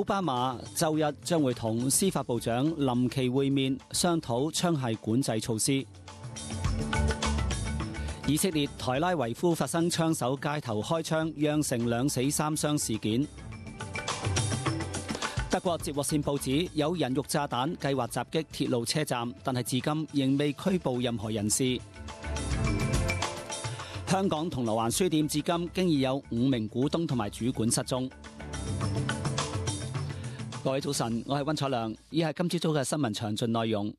奧巴馬周一將會同司法部長臨期會面，商討槍械管制措施。以色列台拉維夫發生槍手街頭開槍，釀成2死3傷事件。德國接獲線報指有人肉炸彈計劃襲擊鐵路車站，但係至今仍未拘捕任何人士。香港銅鑼灣書店至今經已有5名股東同埋主管失蹤。各位早晨，我係溫彩良，以下今朝早嘅新聞詳盡內容。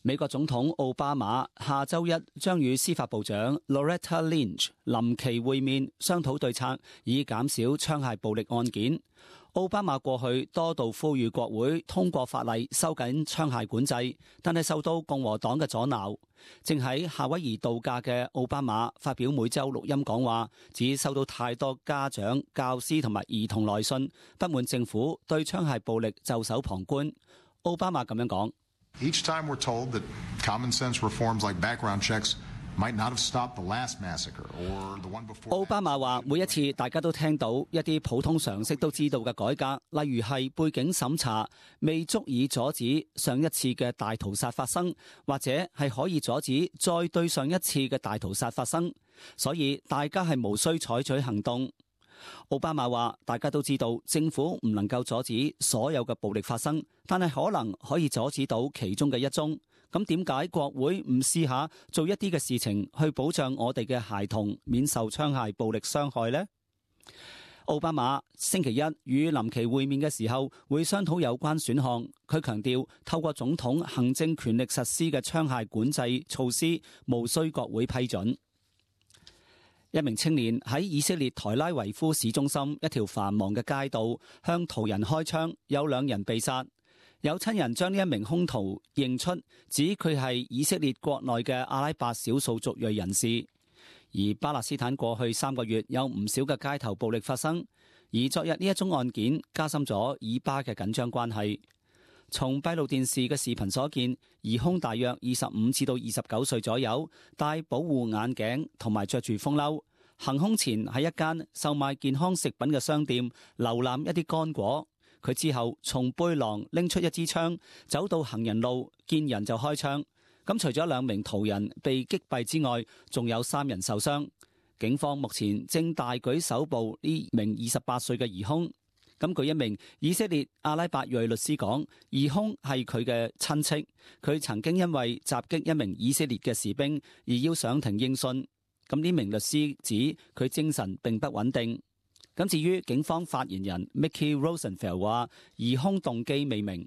美國總統奧巴馬下周一將與司法部長 Loretta Lynch 臨期會面，商討對策，以減少槍械暴力案件。奧巴馬過去多度呼籲國會通過法例收緊槍械管制，但係受到共和黨嘅阻撓。正喺夏威夷度假嘅奧巴馬發表每週錄音講話，指收到太多家長、教師同埋兒童來信，不滿政府對槍械暴力袖手旁觀。奧巴馬咁樣講：Each time we're told that common sense reforms like background checks might not have stopped the last massacre or the one before. 奧巴馬話：每一次大家都聽到一啲普通常識都知道嘅改革，例如係背景審查未足以阻止上一次嘅大屠殺發生，或者係可以阻止再對上一次嘅大屠殺發生，所以大家係無需採取行動。奧巴馬話：大家都知道政府唔能夠阻止所有嘅暴力發生，但係可能可以阻止到其中嘅一宗。咁點解國會唔試下做一啲嘅事情去保障我哋嘅孩童免受槍械暴力傷害呢？奧巴馬星期一與臨期會面嘅時候會商討有關選項。佢強調透過總統行政權力實施嘅槍械管制措施無需國會批准。一名青年喺以色列台拉維夫市中心一條繁忙嘅街道向途人開槍，有2人被殺。有親人將呢一名兇徒認出，指佢係以色列國內嘅阿拉伯少數族裔人士。而巴勒斯坦過去3個月有唔少嘅街頭暴力發生，而昨日呢一宗案件加深咗以巴嘅緊張關係。從閉路電視嘅視頻所見，疑兇大約25至到29歲左右，戴保護眼鏡同埋着住風褸。行兇前喺一間售賣健康食品嘅商店瀏覽一啲乾果。佢之後從背囊拎出一支槍，走到行人路，見人就開槍。咁除咗2名途人被擊斃之外，仲有3人受傷。警方目前正大舉搜捕呢名28歲嘅疑兇。咁據一名以色列阿拉伯裔律師講，疑兇係佢嘅親戚，佢曾經因為襲擊一名以色列嘅士兵而要上庭應訊。咁呢名律師指佢精神並不穩定。咁至於警方發言人 Mickey Rosenfeld 話，疑兇動機未明。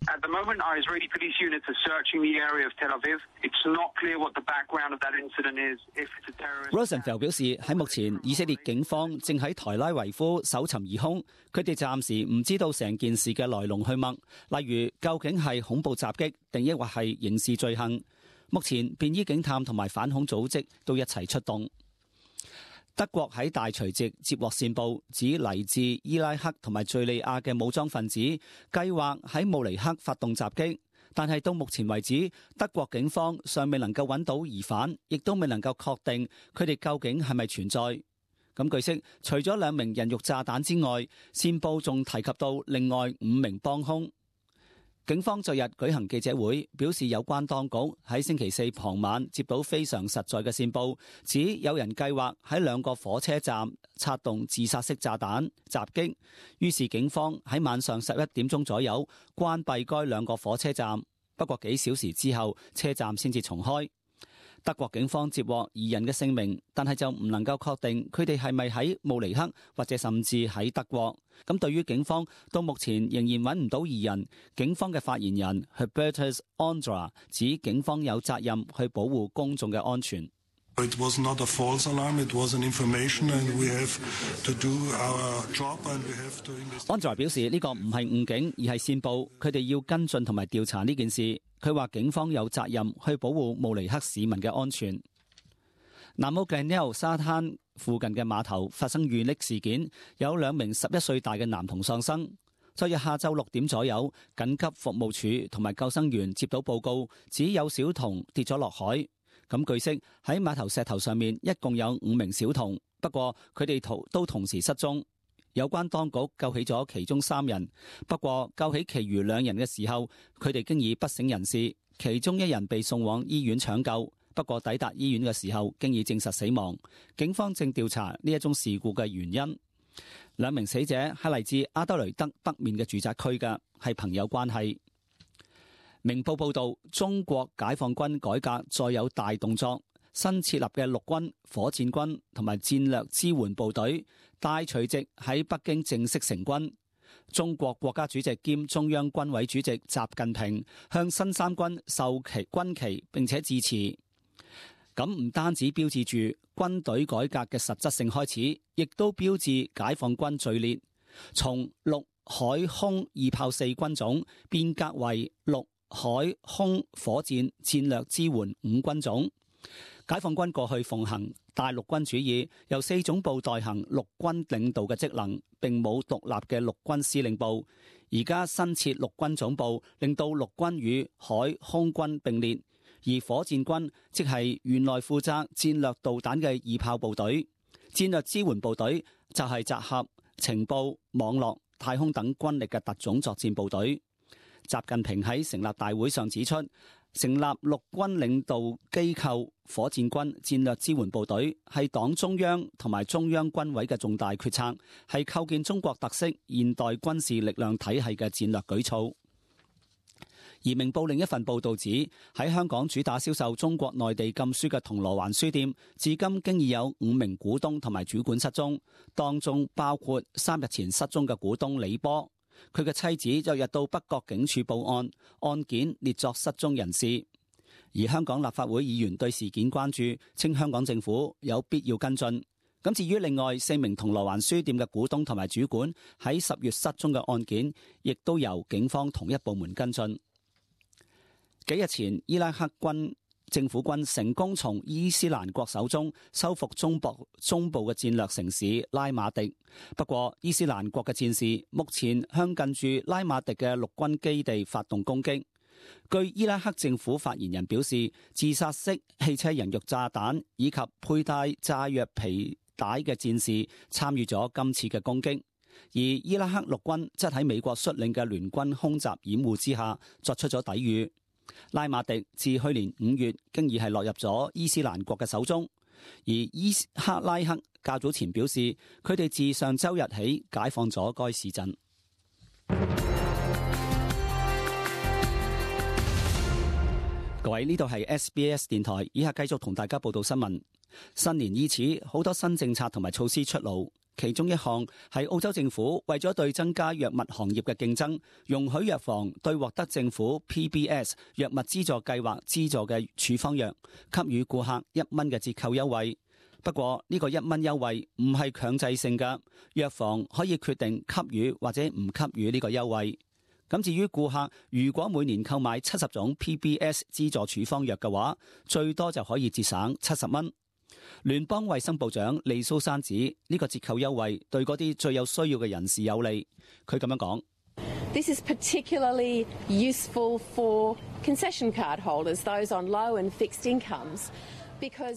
At the moment, our Israeli police units are searching the area of Tel Aviv. It's not clear what the background of that incident is. If it's a terrorist. Rosenfeld 表示喺目前，以色列警方正喺台拉維夫搜尋疑兇，佢哋暫時唔知道成件事嘅來龍去脈，例如究竟係恐怖襲擊定抑或係刑事罪行。目前便衣警探同埋反恐組織都一齊出動。德國喺大除夕接獲線報，指嚟自伊拉克同埋敘利亞嘅武裝分子計劃喺慕尼黑發動襲擊，但係到目前為止，德國警方尚未能夠揾到疑犯，亦都未能夠確定佢哋究竟係咪存在。咁據悉，除咗2名人肉炸彈之外，線報仲提及到另外5名幫兇。警方昨日舉行記者會，表示有關當局喺星期4傍晚接到非常實在嘅線報，指有人計劃喺2個火車站策動自殺式炸彈襲擊。於是警方喺晚上11點鐘左右關閉該2個火車站，不過幾小時之後，車站先至重開。德國警方接獲2人嘅姓名，但係就唔能夠確定佢哋係咪喺慕尼黑或者甚至喺德國。咁對於警方到目前仍然揾唔到2人，警方嘅發言人 Hubertus Ondra 指警方有責任去保護公眾嘅安全。It was not a false alarm, it was an information and we have to do our job and we have to investigate. Ondra 表示呢個唔係誤警，而係線報，佢哋要跟進同埋調查呢件事。佢話警方有責任去保護慕尼黑市民嘅安全。南澳 Glenelg 沙灘附近嘅碼頭發生遇溺事件，有2名11歲大嘅男童喪生。昨日下晝6點左右，緊急服務處同埋救生員接到報告，指有小童跌咗落海。咁據悉喺碼頭石頭上面一共有5名小童，不過佢哋都同時失蹤。有關當局救起咗其中3人，不過救起其餘2人嘅時候，佢哋經已不省人事，其中1人被送往醫院搶救，不過抵達醫院嘅時候經已證實死亡。警方正調查呢一宗事故嘅原因。2名死者係嚟自阿德雷德北面嘅住宅區嘅，係朋友關係。明報報導，中國解放軍改革再有大動作，新設立嘅陸軍、火箭軍同埋戰略支援部隊大隨即喺北京正式成軍。中國國家主席兼中央軍委主席習近平向新三軍授軍旗並且致辭。咁唔單止標誌住軍隊改革嘅實質性開始，亦都標誌解放軍序列從陸海空2炮4軍種變革為陸海空火箭戰略支援5軍種。解放軍過去奉行大陸軍主義，由4總部代行陸軍領導嘅職能，並冇獨立嘅陸軍司令部。而家新設陸軍總部，令到陸軍與海空軍並列。而火箭軍即係原來負責戰略導彈嘅2炮部隊，戰略支援部隊就係集合情報、網絡、太空等軍力嘅特種作戰部隊。習近平喺成立大會上指出，成立陸軍領導機構火箭軍戰略支援部隊係黨中央同埋中央軍委嘅重大決策，係構建中國特色現代軍事力量體系嘅戰略舉措。而明報另一份報導指，喺香港主打銷售中國內地禁書嘅銅鑼灣書店，至今經已有5名股東同埋主管失蹤，當中包括3日前失蹤嘅股東李波，佢嘅妻子就日到北角警署報案，案件列作失蹤人士。而香港立法會議員對事件關注，稱香港政府有必要跟進。咁至於另外4名銅鑼灣書店嘅股東同埋主管喺10月失蹤嘅案件，亦都由警方同一部門跟進。幾日前，伊拉克政府軍成功從伊斯蘭國手中收復中部嘅戰略城市拉馬迪。不過，伊斯蘭國嘅戰士目前向近住拉馬迪嘅陸軍基地發動攻擊。據伊拉克政府發言人表示，自殺式汽車人肉炸彈以及佩戴炸藥皮帶嘅戰士參與咗今次嘅攻擊。而伊拉克陸軍則喺美國率領嘅聯軍空襲掩護之下作出咗抵禦。拉馬迪自去年5月經已係落入咗伊斯蘭國嘅手中，而伊克拉克較早前表示，佢哋自上周日起解放咗該市鎮。各位，呢度係 SBS 電台，以下繼續同大家報道新聞。新年伊始，好多新政策同埋措施出爐。其中一項係澳洲政府為咗對增加藥物行業嘅競爭，容許藥房對獲得政府 PBS 藥物資助計劃資助嘅處方藥給予顧客1蚊嘅折扣優惠。不過呢個1蚊優惠唔係強制性嘅，藥房可以決定給予或者唔給予呢個優惠。咁至於顧客如果每年購買70種 PBS 資助處方藥嘅話，最多就可以節省70蚊。聯邦衛生部長利蘇珊指呢個折扣優惠對嗰啲最有需要嘅人士有利。佢咁樣講：This is particularly useful for concession card holders, those on low and fixed incomes.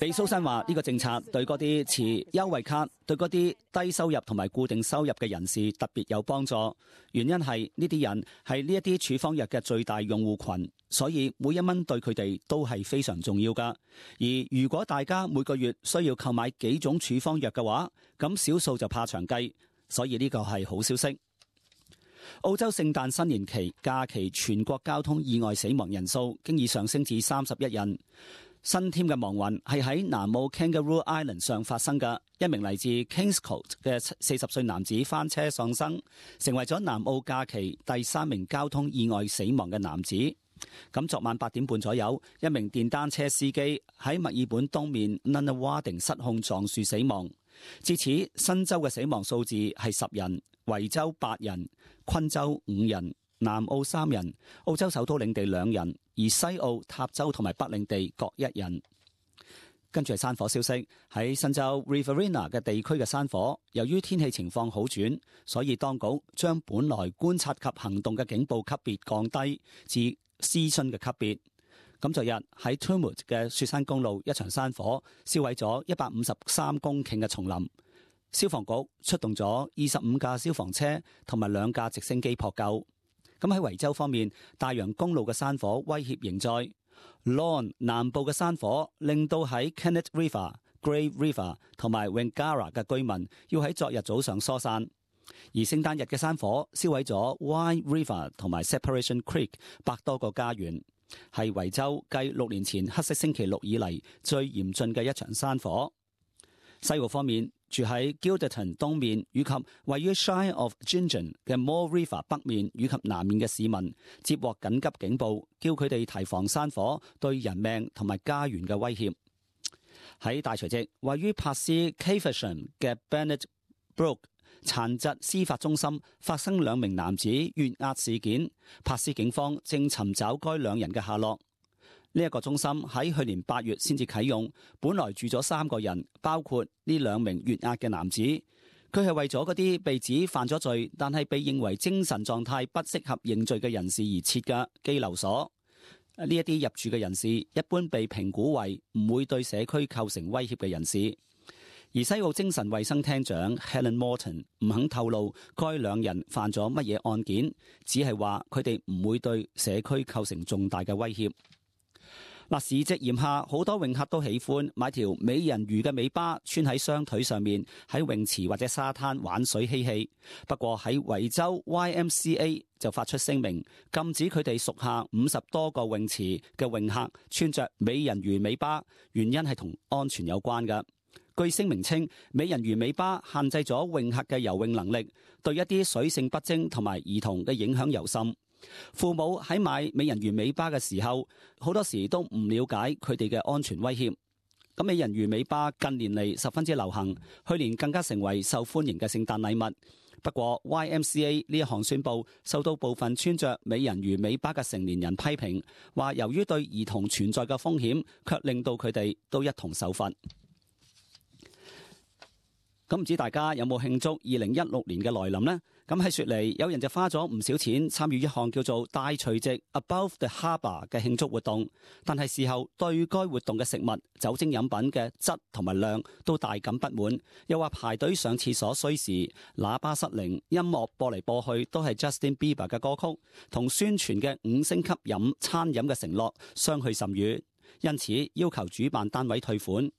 利蘇珊話：呢個政策對嗰啲持優惠卡、對嗰啲低收入同埋固定收入嘅人士特別有幫助。原因係呢啲人係呢一啲處方藥嘅最大用戶群，所以每1蚊對佢哋都係非常重要㗎。而如果大家每個月需要購買幾種處方藥嘅話，咁少數就怕長計，所以呢個係好消息。澳洲聖誕新年期假期全國交通意外死亡人數經已上升至31人。新添嘅亡魂係喺南澳 Kangaroo Island 上發生嘅，一名嚟自 Kingscote 嘅40歲男子翻車喪生，成為咗南澳假期第3名交通意外死亡嘅男子。咁昨晚8點半左右，一名電單車司機喺墨爾本東面 Nunawading 失控撞樹死亡。至此，新州嘅死亡數字係10人，維州8人，昆州5人，南澳3人，澳洲首都領地2人，而西澳、塔州同埋北領地各1人。跟住係山火消息，喺新州 Riverina 嘅地區嘅山火，由於天氣情況好轉，所以當局將本來觀察及行動嘅警報級別降低至諮詢嘅級別。咁昨日喺 Tumut 嘅雪山公路，一場山火燒毀咗153公頃嘅叢林。消防局出動咗25架消防車同埋2架直升機撲救。咁喺維州方面，大洋公路嘅山火威脅仍在。Lorne 南部嘅山火令到喺 Kennett River、Grave River 同埋 Wangara 嘅居民要喺昨日早上疏散。而聖誕日嘅山火燒毀咗 Wye River 同埋 Separation Creek 百多個家園，係維州繼6年前黑色星期六以嚟最嚴峻嘅一場山火。西澳方面，住喺 Gilderton 東面以及位於 Shire of Gingin 嘅 Moore River 北面以及南面嘅市民接獲緊急警報，叫佢哋提防山火對人命同埋家園嘅威脅。喺大除夕，位於珀斯 Caversham 嘅 Bennett Brook 殘疾司法中心發生2名男子越押事件，珀斯警方正尋找該2人嘅下落。呢一個中心喺去年8月先至啟用，本來住咗3個人，包括呢2名越押嘅男子。佢係為咗嗰啲被指犯咗罪，但係被認為精神狀態不適合認罪嘅人士而設嘅羈留所。呢一啲入住嘅人士一般被評估為唔會對社區構成威脅嘅人士。而西澳精神衛生廳長 Helen Morton 唔肯透露該2人犯咗乜嘢案件，只係話佢哋唔會對社區構成重大嘅威脅。嗱，時值炎夏，好多泳客都喜歡買條美人魚嘅尾巴穿喺雙腿上面，喺泳池或者沙灘玩水嬉戲。不過喺維州 YMCA 就發出聲明，禁止佢哋屬下50多個泳池嘅泳客穿着美人魚尾巴，原因係同安全有關嘅。據聲明稱，美人魚尾巴限制咗泳客嘅游泳能力，對一啲水性不精同埋兒童嘅影響尤甚。父母喺買美人魚尾巴嘅時候，好多時都唔了解佢哋嘅安全威脅。咁美人魚尾巴近年嚟十分之流行，去年更加成為受歡迎嘅聖誕禮物。不過 YMCA 呢一項宣佈受到部分穿着美人魚尾巴嘅成年人批評，話由於對兒童存在嘅風險，卻令到佢哋都一同受罰。咁唔知大家有冇慶祝2016年嘅來臨呢？咁喺雪梨，有人就花咗唔少錢參與一項叫做大除夕 Above the Harbour 嘅慶祝活動，但係事後對該活動嘅食物、酒精飲品嘅質同埋量都大感不滿，又話排隊上廁所需時、喇叭失靈、音樂播嚟播去都係 Justin Bieber 嘅歌曲，同宣傳嘅5星級餐飲嘅承諾相去甚遠，因此要求主辦單位退款。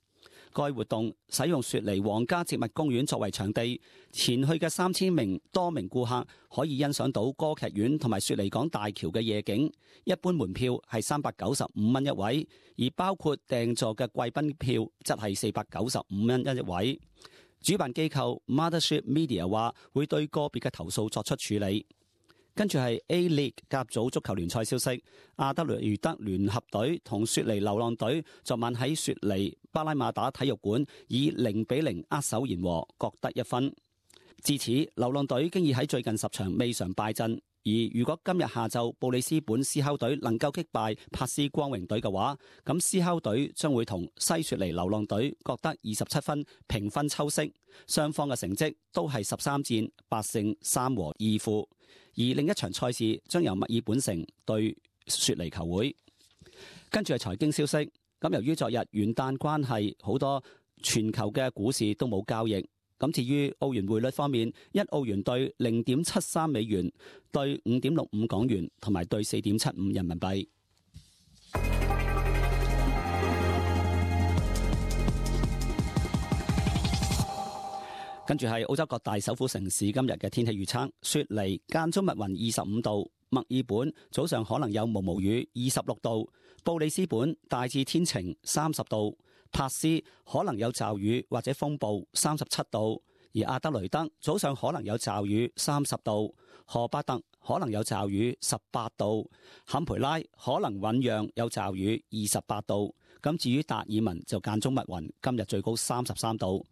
該活動使用雪梨皇家植物公園作為場地，前去嘅3000多名顧客可以欣賞到歌劇院同埋雪梨港大橋嘅夜景。一般門票係395蚊一位，而包括訂座嘅貴賓票則係495蚊一位。主辦機構 Mothership Media 話會對個別嘅投訴作出處理。跟住係 A-League 甲組足球聯賽消息，阿德雷德聯合隊同雪梨流浪隊昨晚喺雪梨巴拉馬打體育館以0-0握手言和，各得1分。至此，流浪隊經已喺最近10場未嘗敗陣。而如果今日下晝布里斯本獅吼隊能夠擊敗珀斯光榮隊嘅話，咁獅吼隊將會同西雪梨流浪隊各得27分，平分秋色。雙方嘅成績都係13戰8勝3和2負。而另一場賽事將由墨爾本城對雪梨球會。跟住係財經消息，咁由於昨日元旦關係，好多全球嘅股市都冇交易。咁至於澳元匯率方面，1澳元兌0.73美元，兌5.65港元，同埋兌4.75人民幣。跟住係澳洲各大首府城市今日嘅天氣預測：雪梨間中密雲25度，墨爾本早上可能有毛毛雨26度，布里斯本大致天晴30度，珀斯可能有驟雨或者風暴37度，而阿德雷德早上可能有驟雨30度，荷巴特可能有驟雨18度，坎培拉可能醞釀有驟雨28度。咁至於達爾文就間中密雲，今日最高33度。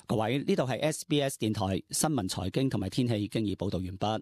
各位，呢度係 SBS 電台新聞財經同埋天氣經已報道完畢。